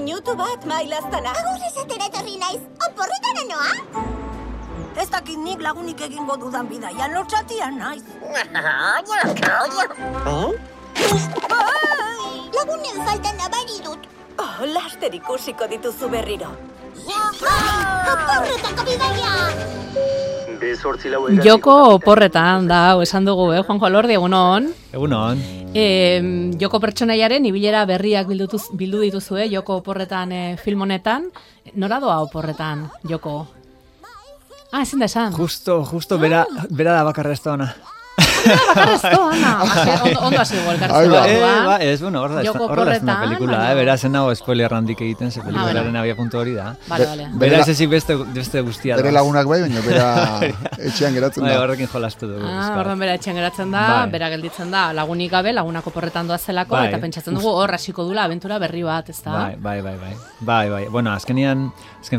Minutu bat, mailaztana. Agur esatera etorri naiz, oporretara noa? Ez dakit nik lagunik egingo dudan bidaian lotxatia naiz. Lagunen falta nabari dut. Oh, laster ikusiko dituzu berriro. Oporretako bidaia! Joko oporretan da, hau esan dugu, Juanjo Alordi, egunon. Egunon. Joko pertsonaiaren ibilera berriak bildu dituzue, Joko oporretan film honetan. Nora doa oporretan, Joko? Ezin da esan. Justo bera da bakarra ez da ona. Bakarra ez da ona. Ondo hasi dugu elkartzea. Ez, bueno, hor da ez una pelikula, bera zen nago spoiler handik egiten, ze pelikularen abia puntu hori da. Bera ez ezik beste guztia da. Bere lagunak bai, baina bera etxean geratzen da. Horrekin jolastu dugu. Orduan bera etxean geratzen da, bera gelditzen da, lagunik gabe, lagunak oporretan doazelako, eta pentsatzen dugu hor hasiko dula abentura berri bat, ez da? Bai. Bueno, azken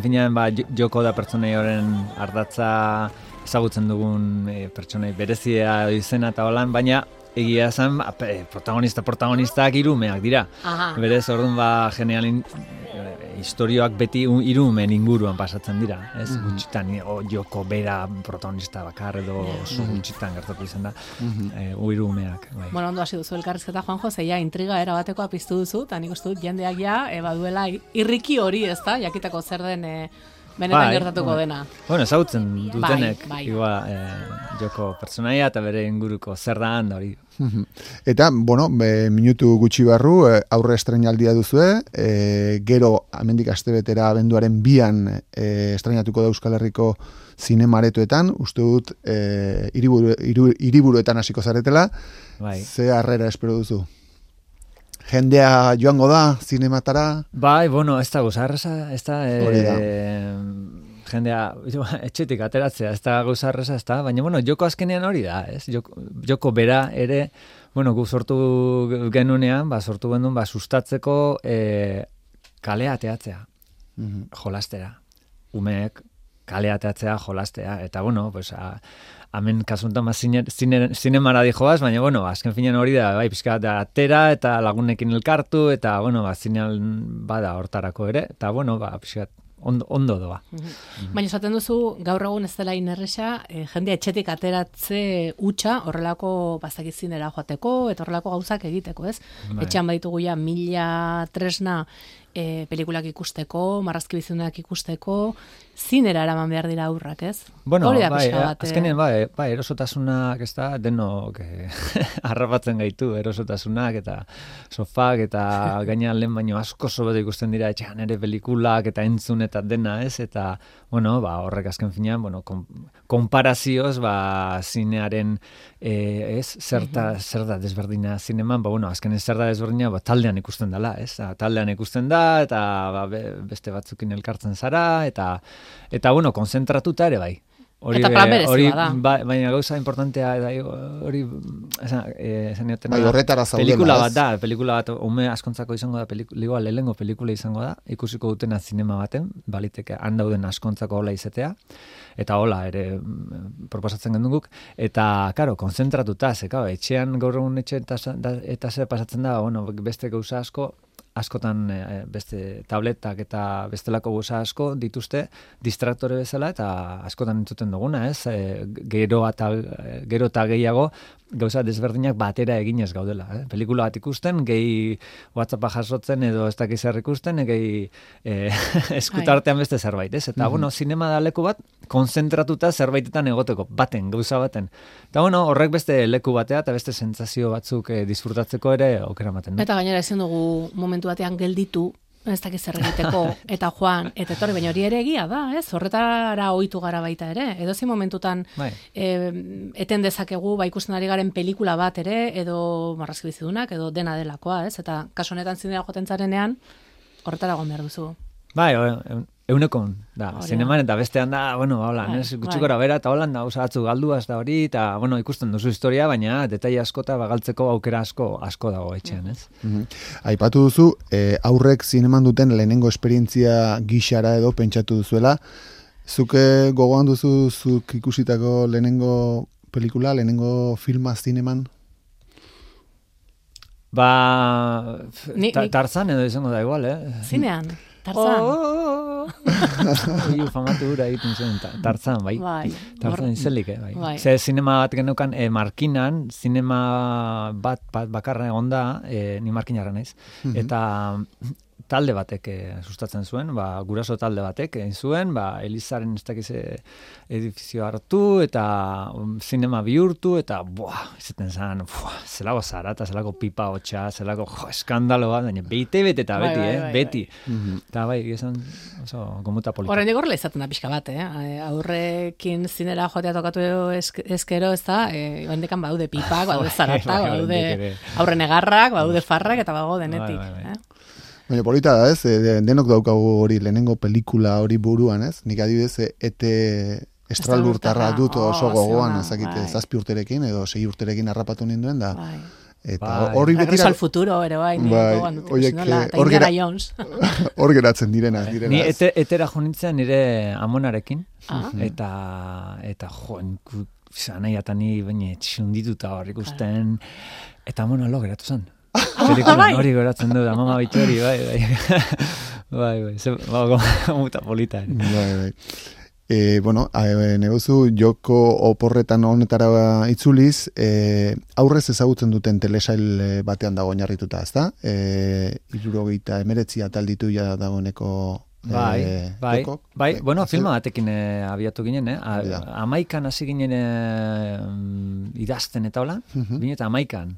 finean, Joko da pertsonei horren ardatza ezagutzen dugun pertsonei berezia izena eta holan, baina egia esan protagonistak hirumeak dira. Berez, orduan genial historioak beti hirumen inguruan pasatzen dira. Ez gutxitan, Joko bera protagonista bakar edo oso gutxitan gertatu izan da. Hirumeak. Bueno, ondo hasi duzu elkarrizketa, Juanjo, zeia intriga erabatekoa piztu duzu, eta nik uste dut jendeak baduela irriki hori, ez da, jakitako zer den benetan gertatuko dena. Bueno, ezagutzen dutenek Joko pertsonaia eta bere inguruko zer da handa hori. Eta, bueno, minutu gutxi barru, aurre estrenaldia duzue, gero hemendik astebetera abenduaren 2an estrenatuko da Euskal Herriko zinemaretoetan, uste dut hiriburuetan hasiko zaretela, ze harrera espero duzu? Jendea joango da, zinematara? Bai, bueno, ez da gozarreza, ez da, jendea, etxetik ateratzea, ez da gozarreza, ez da, baina, bueno, Joko azkenean hori da, ez? Joko bera ere, bueno, gu sortu genunean, sortu genuen, sustatzeko kalea teatzea, jolastera. Umeek kalea teatzea, jolastea, eta, bueno, pues, hemen kasuntan zinemara dijoaz, baina, bueno, azken finean hori da, bai, pixka da atera eta lagunekin elkartu, eta, bueno, zinean bada hortarako ere, eta, bueno, pixka ondo doa. Baina esaten duzu, gaur egun ez dela inerresa, jendea etxetik ateratze hutsa horrelako bazakizinera joateko, eta horrelako gauzak egiteko, ez? Etxean baditugu ja 1000 tresna pelikulak ikusteko, marrazki bizunak ikusteko, zinera eraman behar dira aurrak, ez? Bueno, azkenean, erosotasunak, ez da, denok harrapatzen gaitu, erosotasunak, eta sofak, eta gainean lehen baino asko sobeto ikusten dira etxean ere pelikulak, eta entzun, eta dena, ez? Eta, bueno, horrek azken finean, bueno, konparazioz, zinearen, zer da desberdina zineman, bueno, azkenean zer da desberdina, taldean ikusten dela, ez? Taldean ikusten da, eta beste batzukin elkartzen zara, eta bueno, konzentratuta ere bai. Eta plan berezia da. Baina gauza importantea hori horretara zaudela. Pelikula bat ume askontzako izango da, lehengo pelikula izango da, ikusiko dutena zinema baten, baliteke handauden askontzako hola izatea, eta hola ere proposatzen genduguk, eta, karo, konzentratuta, etxean gaur egun etxe eta zer pasatzen da, bueno, beste gauza askotan beste tabletak eta bestelako gauza asko dituzte distraktore bezala, eta askotan entzuten duguna, ez? Gero eta gehiago gauza desberdinak batera eginez gaudela. Pelikula bat ikusten, gehi WhatsAppa jasotzen edo ez dakiz zer ikusten, gehi eskutartean beste zerbait, ez? Eta, bueno, zinema da leku bat, konzentratuta zerbaitetan egoteko, gauza baten. Eta, bueno, horrek beste leku batea eta beste sentsazio batzuk disfrutatzeko ere aukera ematen. Eta gainera ezin dugu momentu batean gelditu, ez dakiz zer egiteko, eta joan, eta etorri, baina hori ere egia da, ez? Horretara ohitu gara baita ere. Edozein momentutan eten dezakegu, ikusten ari garen pelikula bat ere, edo marrazki bizidunak, edo dena delakoa, ez? Eta kasu honetan zinera joaten zarenean, horretara egon behar duzu. Bai, eunekon, da, zineman eta bestean da, bueno, gutxikora bera, eta holan da, batzu galduaz da hori, eta, bueno, ikusten duzu historia, baina detaile asko eta galtzeko aukera asko dago etxean, ez? Aipatu duzu, aurrek zineman duten lehenengo esperientzia gixara edo pentsatu duzuela, zuke gogoan duzu zuk ikusitako lehenengo pelikula, lehenengo filma zineman? Ba, Tarzan edo izango da igual, Zinean, Tarzan. Famatu hura egiten zuen, Tarzan, bai. Tarzan izelik, bai. Ze zinema bat genukan, Markinan, zinema bat bakarra egon da, ni Markinarra naiz, eta talde batek sustatzen zuen, guraso talde batek egin zuen, Elizaren ez dakiz edifizio hartu, eta zinema bihurtu, eta izaten zen, zelako zarata, zelako pipa hotxa, zelako eskandalo bat, baina bete eta beti, beti. Eta esan oso gomuta polita. Horrein digorrela izaten da pixka bat, aurrekin zinera joatea tokatu ezkero, ez da, hondekan baude pipak, baude zaratak, baude aurren egarrak, baude farrak, eta bago denetik. Baina polita da, ez? Denok daukagu hori lehenengo pelikula hori buruan, ez? Nik adibidez, estralurtarra dut oso gogoan, ezakite, 7 urterekin edo 6 urterekin harrapatu ninduen da. Eta hori beti... Regreso al futuro, ere bai, gogoan dut. Hor geratzen direna. Ni etera jonintzen nire amonarekin, eta joan, zanai eta ni baina txundituta hor ikusten, eta amona lo geratu zen. Pelikulan hori geratzen du, da mama bitxori, bai, muta polita. Bai. Bueno, negozu joko oporretan honetara itzuliz, aurrez ezagutzen duten telesail batean dago oinarrituta, ezta? 79 atal ditu ja dagoeneko Bai, bueno, filma batekin abiatu ginen, 11 hasi ginen idazten eta hola, bine eta 11,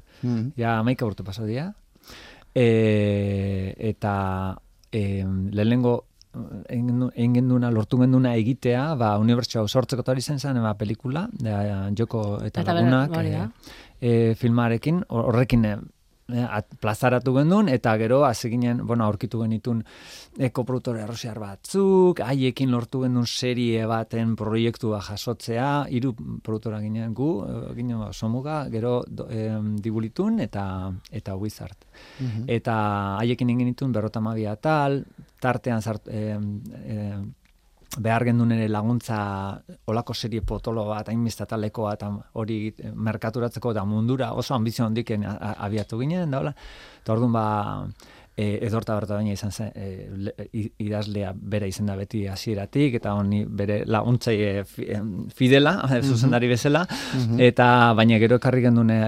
ja 11 urte pasau dira, eta lehenengo egin genduna, lortu genduna egitea, unibertsioa sortzeko hori zen pelikula, joko eta lagunak filmarekin, horrekin plazaratu gendun, eta gero hasi ginen, aurkitu genitun koproduktore errusiar batzuk, haiekin lortu gendun serie baten proiektua jasotzea, 3 produktora ginen ginen somuga, gero Dibulitun eta Wizard. Eta haiekin egin ditun 52 atal, tartean behar gendun ere laguntza olako serie potolo bat, hainbiztatalekoa, eta hori merkaturatzeko eta mundura oso ambizio handiken abiatu ginen, da hola. Eta orduan edorta berta baina izan zen, idazlea bera izen da beti hasieratik, eta honi bere laguntzai fidela, zuzendari bezala, eta baina gero ekarri gendune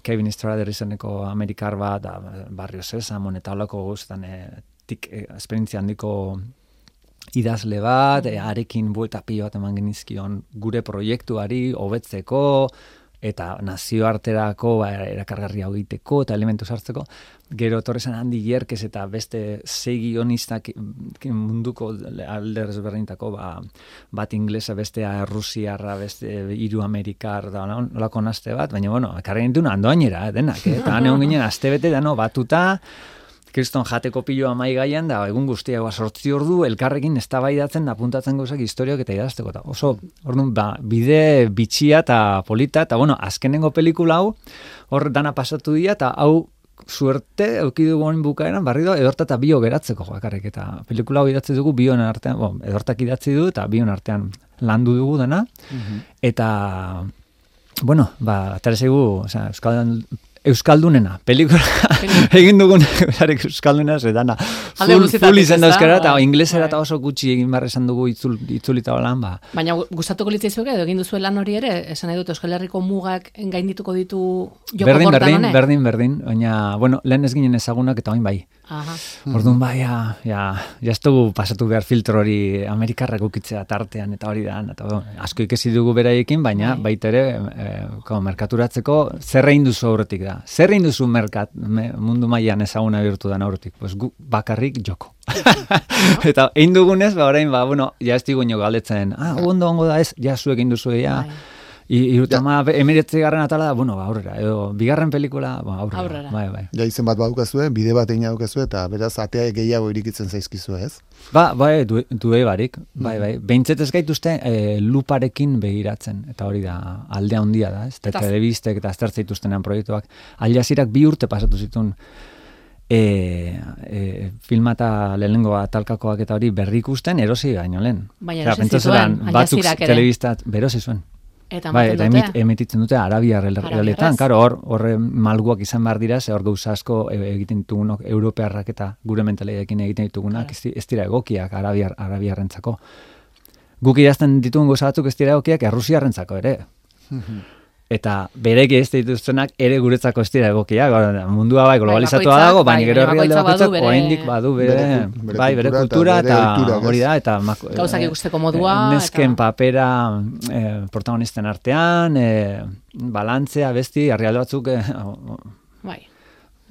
Kevin Strader izeneko amerikar bat, Barrio Sesamon eta olako guztan esperientzia handiko idazle bat, arekin buelta pilo bat eman genizkion gure proiektuari hobetzeko eta nazioarterako erakargarria egiteko eta elementu sartzeko. Gero torrezan Andy Yerkes eta beste 6 guionistak munduko alde ezberdinetako, bat inglesa, bestea rusiarra, beste 3 amerikar, da nolako naste bat, baina ekarri gintuen andoainera, denak, eta egon ginen astebete dano batuta, kriston jateko piloa mai gaian, da egun guztia 8 ordu elkarrekin eztabaidatzen da apuntatzen gauzak historiak eta idazteko. Oso, orduan, bide bitxia eta polita, eta azkenengo pelikula hau, hor dana pasatu dira, eta hau suerte eukidugu honin bukaeran, barrido edorta eta bio geratzeko bakarrik, eta pelikula hau idatzi dugu bion artean, edortak idatzi du, eta bion artean landu dugu dana, eta, atarezegu, Euskaldunena, pelikula egin dugun Euskaldunena zedana full izan dauzkara eta inglesera eta oso gutxi egin barra esan dugu itzulita lan Baina gustatuko litzaizuke edo egin duzu lan hori ere, esan nahi dut Euskal Herriko mugak gaindituko ditu joko portan honek? Berdin, baina, lehen ez ginen ezagunak eta oin bai. Orduan ez dugu pasatu behar filtro hori Amerikarrak ukitzea tartean eta hori da, asko ikesi dugu beraiekin, baina baita ere merkaturatzeko zer egin duzu aurretik da. Zer egin duzu mundu mailan ezaguna bihurtu da aurretik? Pues gu bakarrik joko. Eta egin dugunez, orain, ez digu ino galdetzen, ondo da ez, zuek egin duzu Irutama emiretzigarren atala da, aurrera, edo bigarren pelikula, aurrera. Bai. Ja izen bat badukazue, bide bat egin daukazue, eta beraz atea gehiago irikitzen zaizkizu, ez? Due barik, bai. Behintzet ez gaituzte luparekin begiratzen, eta hori da, aldea handia da, ez? Telebistek eta aztertze dituztenean proiektuak. Al Jazeerak 2 urte pasatu zituen filma eta lehenengo atalkakoak eta hori berri ikusten erosi baino lehen. Baina erosi zituen, Al Jazeerak ere. Telebistat berosi zuen. Eta bai, eta emititzen dute arabiar herrialdetan, karo, hor malguak izan behar dira, ze hor gauza asko egiten ditugunok, europearrak eta gure mentaleekin egiten ditugunak, ez dira egokiak arabiarrentzako. Guk idazten ditugun gauza batzuk ez dira egokiak errusiarrentzako ere. Eta bereki ez dituztenak ere guretzako ez dira egokiak. Mundua bai globalizatua dago, baina gero herrialde bakoitzak oraindik badu bere kultura eta hori da, eta gauzak ikusteko modua. Nesken papera protagonisten artean, balantzea, besti, herrialde batzuk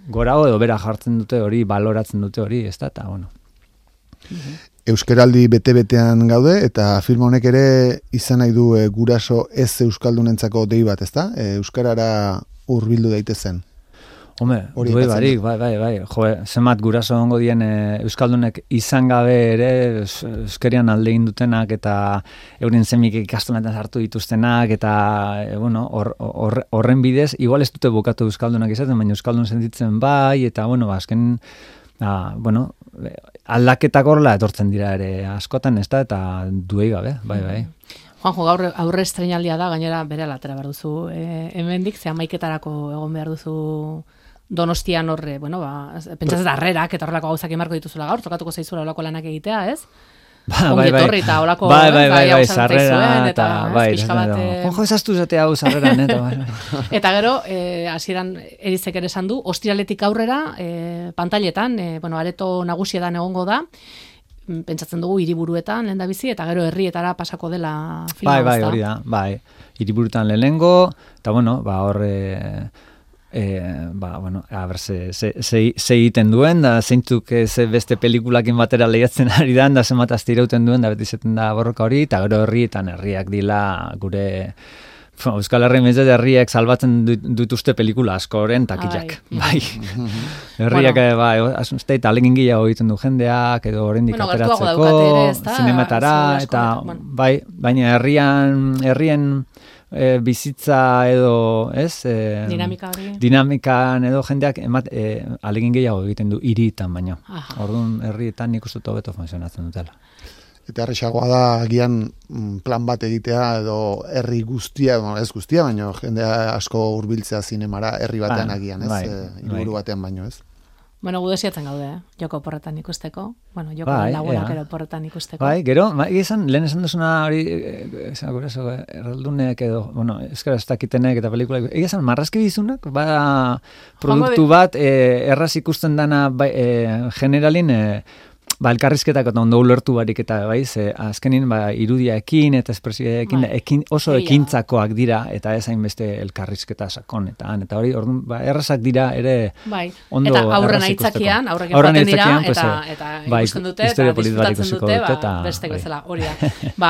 gora edo bera jartzen dute hori, baloratzen dute hori, ez da, eta bueno. Euskaraldi bete-betean gaude, eta film honek ere izan nahi du guraso ez euskaldunentzako dei bat, ezta? Euskarara hurbildu daitezen. Home, duei barik, bai. Jo, zenbat guraso ongo dien euskaldunek izan gabe ere euskarian alde egin dutenak eta euren semik ikastonetan sartu dituztenak eta bueno, horren bidez igual ez dute bukatu euskaldunak izaten, baina euskaldun sentitzen bai eta bueno, azken bueno, aldaketak horrela etortzen dira ere askotan, ez da, eta duei gabe, bai. Juanjo, gaur aurre estreinaldia da, gainera bere alatera behar duzu hemendik, ze 11etarako egon behar duzu Donostian horre, bueno, pentsatzen darrerak, eta horrelako gauzak emarko dituzula gaur, tokatuko zaizura olako lanak egitea, ez? Ongi etorri eta olako bai, sarrera eta bai, ojo ezaztu zatea hau sarreran eta gero, hasieran Erizek ere esan du, ostiraletik aurrera pantailetan, bueno, areto nagusietan egongo da, pentsatzen dugu hiriburuetan lehendabizi eta gero herrietara pasako dela filma. Bai, hori da, bai, hiriburutan lehenengo, eta bueno, hor bueno, a ver, se egiten duen, da zeintzuk ze beste pelikulakin batera lehiatzen ari da, da zenbat azte irauten duen, da beti zeten da borroka hori, eta gero herriak dila gure Euskal Herri mezet herriek salbatzen dituzte pelikula askoren takillak. Bai. Herriak, bai, asunzte eta alegin gehiago egiten du jendeak, edo horrendik ateratzeko, zinematara, eta bai, baina herrien bizitza edo, ez? Dinamikan edo jendeak alegin gehiago egiten du hiritan baino. Orduan herrietan nik uste hobeto funtzionatzen dutela. Eta erresagoa da agian plan bat egitea edo herri guztia, ez guztia, baina jende asko hurbiltzea zinemara herri batean agian, ez? Hiriburu batean baino, ez? Bueno, gu desiatzen gaude, joko porretan ikusteko. Bueno, joko lagunak ero porretan ikusteko. Bai, gero, lehen esan duzuna hori, erraldunek edo, bueno, euskara ez dakitenek eta pelikula, esan marrazki bizunak, produktu bat, erraz ikusten dana generalin, elkarrizketak eta ondo ulertu barik eta azkenin irudiaekin eta espresioekin oso ekintzakoak dira eta ez hainbeste elkarrizketa sakonetan eta hori orduan errazak dira ere ondo eta aurren aitzakian aurrekin joaten dira eta ikusten dute eta disfrutatzen dute bestek bezala hori da.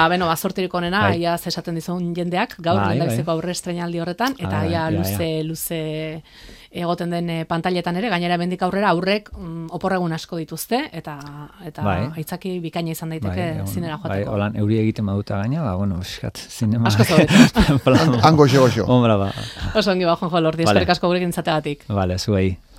Beno, bazortirik onena ia esaten dizun jendeak gaur lehendabiziko aurre estreinaldi horretan eta ia luze egoten den pantailetan ere, gainera bendik aurrera aurrek oporregun asko dituzte eta aitzaki bikaina izan daiteke zinera joateko. Bai, holan euri egiten baduta gaina, bueno, zinema. Asko zobetu. Hango xo. Ombra, Oso ongi Juanjo Lordi, eskerrik asko gurekin izateagatik. Vale, zuei.